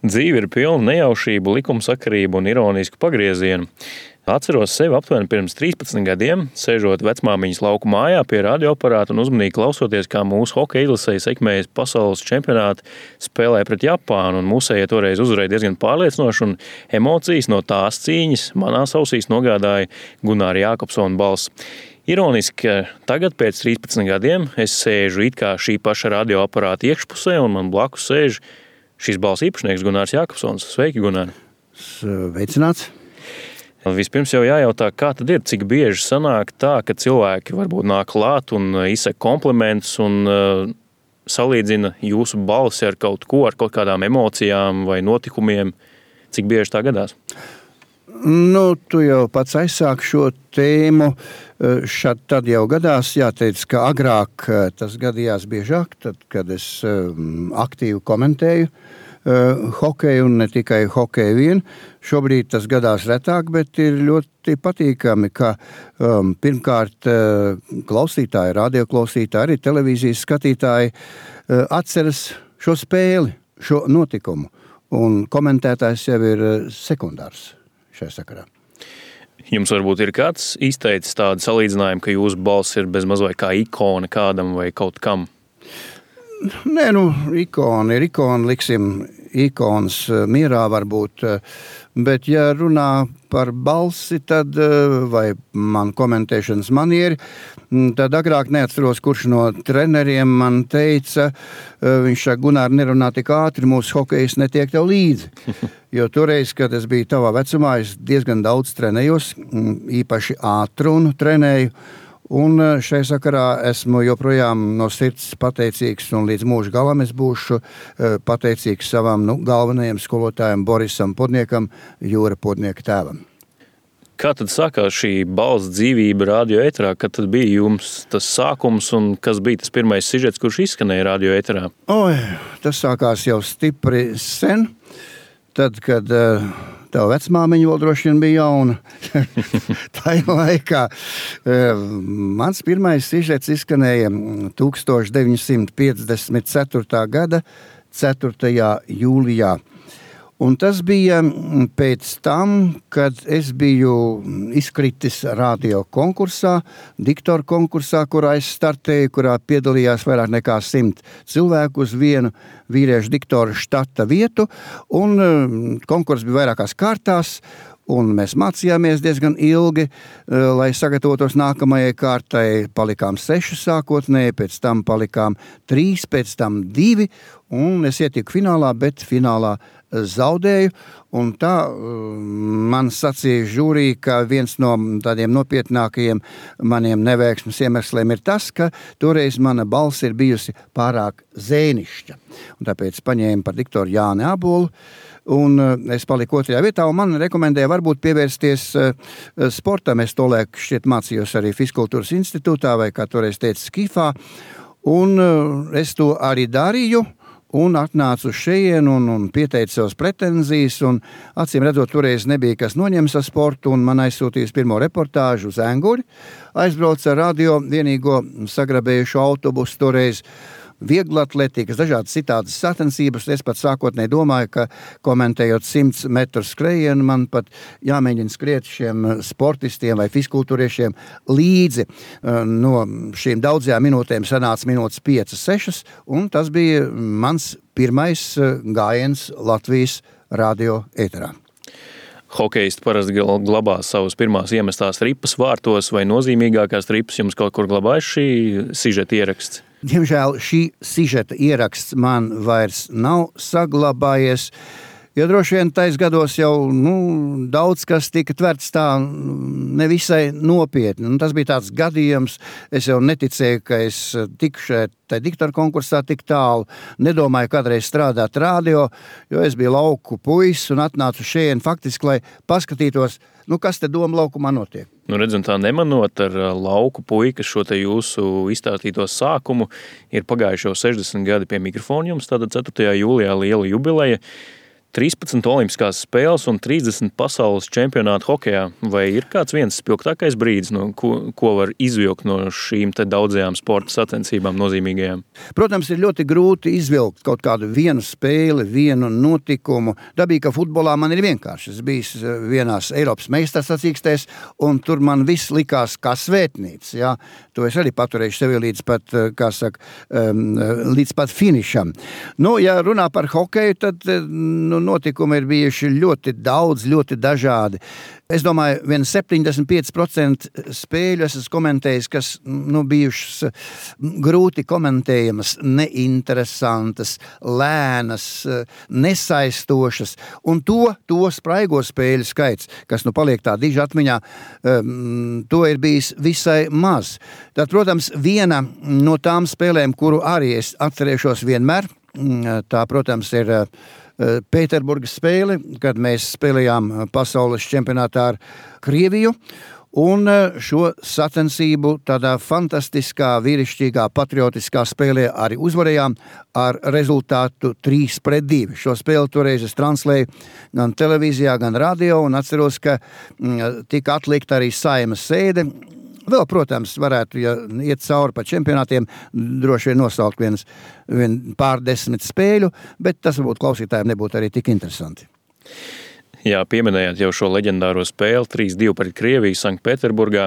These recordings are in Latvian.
Dzīve ir pilna nejaušību, likumsakarību un ironisku pagriezienu. Atceros sevi aptuveni pirms 13 gadiem, sēžot vecmāmiņas lauku mājā pie radioaparāta un uzmanīgi klausoties, kā mūsu hokeja izlasēji sekmējas pasaules čempionāti spēlē pret Japānu, un mūsējie toreiz uzvarēja diezgan pārliecinoši, un emocijas no tās cīņas manās ausīs nogādāja Gunāra Jākopsona balss. Ironiski, ka tagad pēc 13 gadiem es sēžu it kā šī paša radioaparāta iekšpusē, un man blakus sēž šīs balss īpašnieks Gunārs Jākopsons. Sveiki, Gunār! Sveicināts! Vispirms jau jājautā, kā tad ir, cik bieži sanāk tā, ka cilvēki varbūt nāk klāt un izsaka komplimentus un salīdzina jūsu balsi ar kaut ko, ar kaut kādām emocijām vai notikumiem. Cik bieži tā gadās? Tu jau pats aizsāk šo tēmu. Tad jau gadās, jāteic, ka agrāk tas gadījās biežāk, tad, kad es aktīvi komentēju hokeju un ne tikai hokeju vien. Šobrīd tas gadās retāk, bet ir ļoti patīkami, ka pirmkārt klausītāji, radioklausītāji, arī televīzijas skatītāji atceras šo spēli, šo notikumu, un komentētājs jau ir sekundārs šajā sakarā. Jums varbūt ir kāds izteicis tādu salīdzinājumu, ka jūsu balss ir bezmaz vai kā ikona kādam vai kaut kam? Nē, ikona ir ikona, liksim ikonas mierā varbūt, bet ja runā par balsi, tad, vai man komentēšanas manieri, tad agrāk neatceros, kurš no treneriem man teica, viņš saka, Gunār, nerunā tik ātri, mūsu hokejs netiek tev līdzi. Jo toreiz, kad es biju tavā vecumā, es diezgan daudz trenējos, īpaši ātrunu trenēju, un šai sakarā esmu joprojām no sirds pateicīgs, un līdz mūža galam es būšu pateicīgs savam galvenajam skolotājam Borisam Podniekam, Jūra Podnieka tēvam. Kā tad sākās šī balss dzīvība radio ēterā? Kad tad bija jums tas sākums un kas bija tas pirmais sižets, kurš izskanēja radio ēterā? Tas sākās jau stipri sen, tad, kad tev vecmāmiņa vēl droši vien bija jauna. Tajā laikā mans pirmais sižets izskanēja 1954. gada 4. jūlijā. Un tas bija pēc tam, kad es biju izkritis radio konkursā, diktoru konkursā, kurā es startēju, kurā piedalījās vairāk nekā 100 cilvēku uz vienu vīriešu diktoru štata vietu, un konkurss bija vairākās kārtās, un mēs mācījāmies diezgan ilgi, lai sagatavotos nākamajai kārtai. Palikām 6 sākotnēji, pēc tam palikām 3, pēc tam 2, un es ietiku finālā, bet finālā zaudēju, un tā man sacīja žūrī, ka viens no tādiem nopietnākajiem maniem neveiksmes iemesliem ir tas, ka toreiz mana balss ir bijusi pārāk zēnišķa. Un tāpēc paņēmu par diktoru Jāni Ābolu, un es paliku 2. vietā, un man rekomendēja varbūt pievērsties sportam. Es tolaik šķiet mācījos arī Fiskultūras institūtā, vai kā toreiz teica Skifā, un es to arī darīju, un atnācu uz šejienu un pieteicu savas pretenzijas, un acīm redzot, toreiz nebija kas noņems ar sportu, un man aizsūtījis pirmo reportāžu uz Enguri. Aizbraucu ar radio vienīgo sagrabējušu autobusu, toreiz vieglatletikas, dažādas citādas sacensības. Es pat sākotnēji domāju, ka komentējot 100 metru skrējienu, man pat jāmēģina skriet šiem sportistiem vai fiskultūriešiem līdzi. No šīm daudzajām minūtēm sanāca minūtes 5-6, un tas bija mans pirmais gājiens Latvijas radio ēterā. Hokejisti parasti glabā savas pirmās iemestās ripas vārtos, vai nozīmīgākās ripas jums kaut kur glabājas šī sižeta ieraksts? Diemžēl šī sižeta ieraksts man vairs nav saglabājies, jo droši vien tais gados jau daudz kas tika tverts tā nevisai nopietni. Un tas bija tāds gadījums, es jau neticēju, ka es tikšu tajā diktoru konkursā tik tālu. Nedomāju kādreiz strādāt radio, jo es biju lauku puisis un atnācu šeit faktiski, lai paskatītos, kas te doma laukumā notiek. Redzam, tā nemanot ar lauku puikas šo te jūsu izstāstīto sākumu, ir pagājuši jau 60 gadi pie mikrofona jums, tātad 4. jūlijā liela jubileja. 13 olimpiskās spēles un 30 pasaules čempionāti hokejā. Vai ir kāds viens spilgtākais brīdis, ko var izvilkt no šīm te daudzajām sporta sacensībām nozīmīgajām? Protams, ir ļoti grūti izvilkt kaut kādu vienu spēli, vienu notikumu. Dabīgi, ka futbolā man ir vienkārši. Es biju vienās Eiropas meistarsacīkstēs, un tur man viss likās kā svētnīca. Ja? To es arī paturēšu sevi līdz pat, līdz pat finišam. Ja runā par hokeju, tad notikumi ir bijuši ļoti daudz, ļoti dažādi. Es domāju, 75% spēļu esmu komentējis, kas bijušas grūti komentējamas, neinteresantas, lēnas, nesaistošas. Un to spraigo spēļu skaits, kas paliek tā diži atmiņā, to ir bijis visai maz. Tad, protams, viena no tām spēlēm, kuru arī es atcerēšos vienmēr, tā, protams, ir Pēterburgas spēle, kad mēs spēlējām pasaules čempionātā ar Krieviju, un šo sacensību tādā fantastiskā, vīrišķīgā, patriotiskā spēlē arī uzvarējām ar rezultātu 3-2. Šo spēli toreiz es translēju gan televīzijā, gan radio, un atceros, ka tika atlikta arī Saimas sēde. Vēl, protams, varētu, ja iet cauri pa čempionātiem, droši vien nosaukt pārdesmit spēļu, bet tas varbūt klausītājiem nebūtu arī tik interesanti. Jā, pieminējāt jau šo leģendāro spēli 3-2 pret Krieviju Sanktpēterburgā.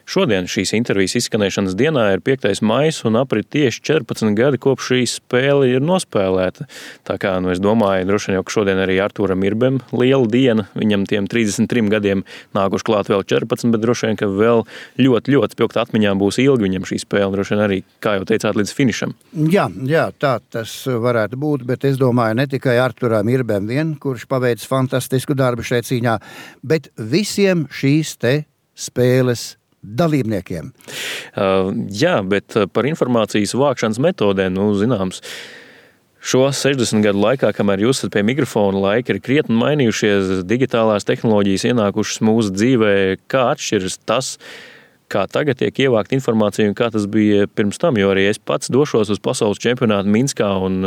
Šodien šīs intervijas izskanēšanas dienā ir 5. maijs un aprit tieši 14 gadi, kopš šī spēle ir nospēlēta. Tā kā, es domāju, droši vien jau, ka šodien arī Artūram Irbem liela diena, viņam tiem 33 gadiem nākuši klāt vēl 14, bet droši vien, ka vēl ļoti, ļoti spilgt atmiņā būs ilgi viņam šī spēle, droši vien arī, kā jau teicāt, līdz finišam. Jā, tā tas varētu būt, bet es domāju, ne tikai Artūram Irbem vien, kurš paveic fantastisku darbu šeit cīņā, bet visiem šīs te spēles dalībniekiem. Jā, bet par informācijas vākšanas metodēm, zināms, šo 60 gadu laikā, kamēr jūs esat pie mikrofona, laika ir krietni mainījušies, digitālās tehnoloģijas ienākušas mūsu dzīvē. Kā atšķiras tas, kā tagad tiek ievākt informācija un kā tas bija pirms tam, jo arī es pats došos uz pasaules čempionātu Minskā un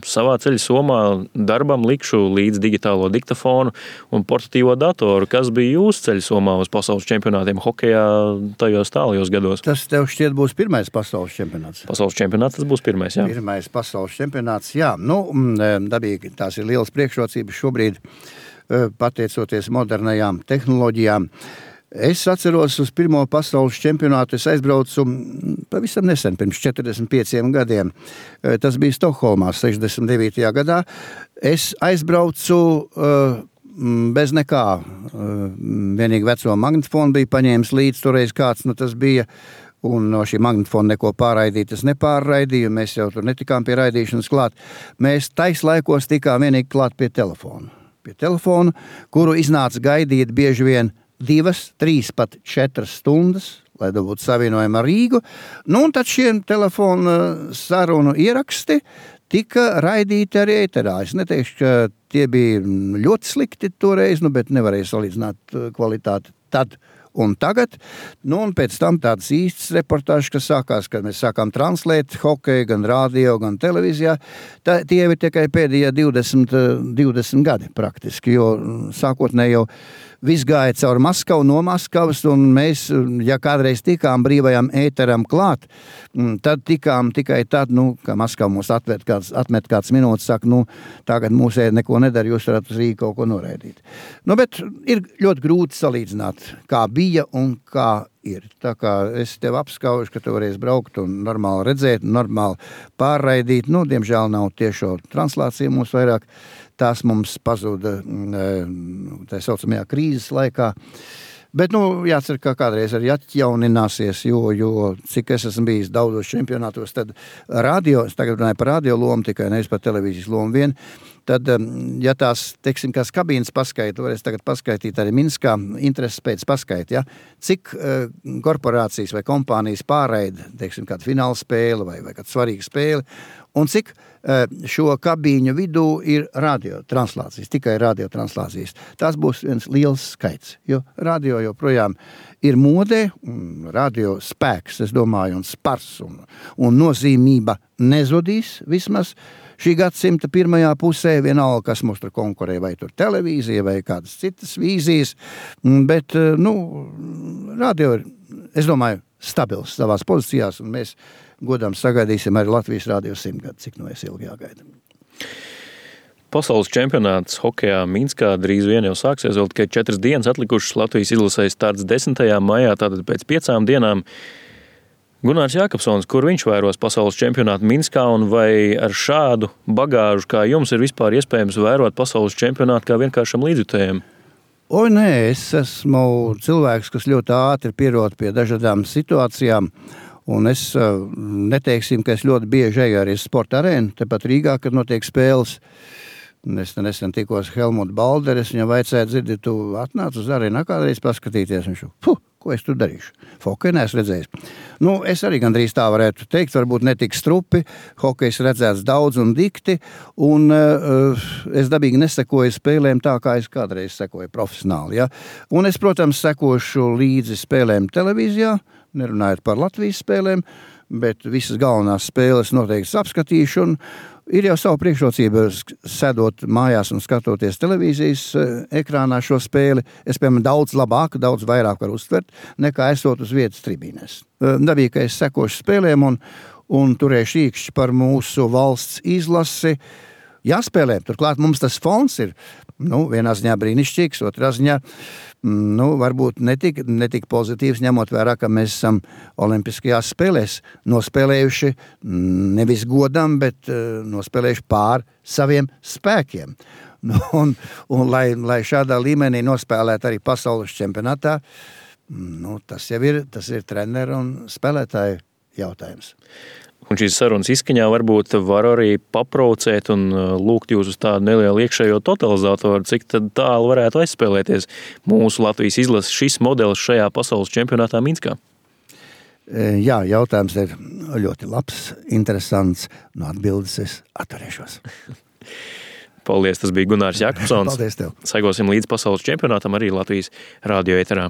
savā ceļa somā darbam likšu līdz digitālo diktafonu un portatīvo datoru. Kas bija jūsu ceļa somā uz pasaules čempionātiem hokejā tajos tālajos gados? Tas tev šķiet būs pirmais pasaules čempionāts. Pasaules čempionāts tas būs pirmais, jā. Pirmais pasaules čempionāts, jā. Dabīgi, tās ir lielas priekšrocības šobrīd, pateicoties modernajām tehnoloģijām. Es atceros uz pirmo pasaules čempionātu, es aizbraucu pavisam nesen, pirms 45 gadiem. Tas bija Stokholmā, 69. gadā. Es aizbraucu bez nekā. Vienīgi veco magnetofonu bija paņēmis līdz toreiz kāds, tas bija. Un no šī magnetofona neko pārraidīt es nepārraidīju, mēs jau tur netikām pie raidīšanas klāt. Mēs taislaikos tikām vienīgi klāt pie telefonu. Pie telefonu, kuru iznāca gaidīt bieži vien 2, 3, pat 4 stundas, lai dabūtu savienojumu ar Rīgu. Un tad šiem telefonu sarunu ieraksti tika raidīti arī ēterā. Es neteikšu, ka tie bija ļoti slikti toreiz, bet nevarēja salīdzināt kvalitāti tad un tagad. Un pēc tam tādas īstas reportāžas, kas sākās, kad mēs sākām translēt hokeju gan radio, gan televīzijā. Tie ir tikai pēdējie 20 gadi praktiski, jo sākotnēji jau viss gāja caur Maskavu, no Maskavas, un mēs, ja kādreiz tikām brīvajam ēteram klāt, tad tikām tikai tad, ka Maskava mūs atmet kāds minūtes, saka, tagad mūsē neko nedara, jūs varat uz Rīgu kaut ko noraidīt. Bet ir ļoti grūti salīdzināt, kā bija un kā ir. Tā kā es tev apskaužu, ka tu varēsi braukt un normāli redzēt, normāli pārraidīt. Diemžēl nav tiešo translācija mums vairāk. Tās mums pazuda tā saucamajā krīzes laikā. Bet, jācer, ka kādreiz arī atjaunināsies, jo cik es esmu bijis daudzos čempionātos, tad radio, es tagad runāju par radio lomu, tikai nevis par televīzijas lomu vien, tad, ja tās, teiksim, kāds kabīnes paskaita, varēs tagad paskaitīt arī Minskā, intereses pēc paskaita, ja, cik korporācijas vai kompānijas pārraida, teiksim, kādu fināla spēli vai kādu svarīgu spēli, un cik šo kabīņu vidū ir radiotranslācijas, tikai radiotranslācijas. Tas būs viens liels skaits, jo radio joprojām ir modē, radio spēks, es domāju, un spars un nozīmība nezudīs vismaz šī gadsimta pirmajā pusē, vienalga, kas mums tur konkurē, vai tur televīzija, vai kādas citas vīzijas, bet, radio ir, es domāju, stabils savās pozīcijās, un mēs godām sagaidīsim arī Latvijas radio 100 gadu, cik es ilgi jāgaida. Pasaules čempionāts hokejā Minskā drīz vien jau sāksies, vēl tikai 4 dienas atlikušas. Latvijas izlasē starts 10. maijā, tātad pēc 5 dienām. Gunārs Jākapsons, kur viņš vēros pasaules čempionātu Minskā, un vai ar šādu bagāžu kā jums ir vispār iespējams vērot pasaules čempionātu kā vienkāršam līdzjutējiem? Nē, es esmu cilvēks, kas ļoti ātri pierod pie dažādām situācijām, un es neteiksim, ka es ļoti bieži eju arī sporta arēnu, tepat Rīgā, kad notiek spēles. Es nesen tikos Helmutu Balderes, viņam vajadzēja dzirdi, tu atnāc uz arēnu kādreiz paskatīties, viņš ko es tur darīšu? Hokeju neesmu redzējis. Es arī gandrīz tā varētu teikt, varbūt netik strupi, hokejs redzēts daudz un dikti, un es dabīgi nesekoju spēlēm tā, kā es kādreiz sekoju profesionāli. Ja? Un es, protams, sekošu līdzi spēlēm televīzijā, nerunājot par Latvijas spēlēm, bet visas galvenās spēles noteikti apskatīšu, un ir jau savu priekšrocību sēdot mājās un skatoties televīzijas ekrānā šo spēli. Es, piemēram, daudz labāk, daudz vairāk varu uztvert, nekā esot uz vietas tribīnēs. Dabīgi, ka es sekošu spēlēm un turēšu īkšķi par mūsu valsts izlasi. Jāspēlē, turklāt mums tas fons ir, vienā ziņā brīnišķīgs, otrā ziņā, varbūt netik pozitīvs, ņemot vērā, ka mēs esam olimpiskajās spēlēs nospēlējuši nevis godam, bet nospēlējuši pār saviem spēkiem. Un lai šādā līmenī nospēlētu arī pasaules čempionātā, tas ir treneru un spēlētāju jautājums. Un šīs sarunas izskaņā varbūt var arī paprovocēt un lūgt jūs uz tādu nelielu iekšējo totalizatoru, cik tad tālu varētu aizspēlēties mūsu Latvijas izlases šis modelis šajā pasaules čempionātā Minskā. Jā, jautājums ir ļoti labs, interesants. No atbildes es atturēšos. Paldies, tas bija Gunārs Jākapsons. Paldies tev. Sekosim līdz pasaules čempionātam arī Latvijas radio ēterā.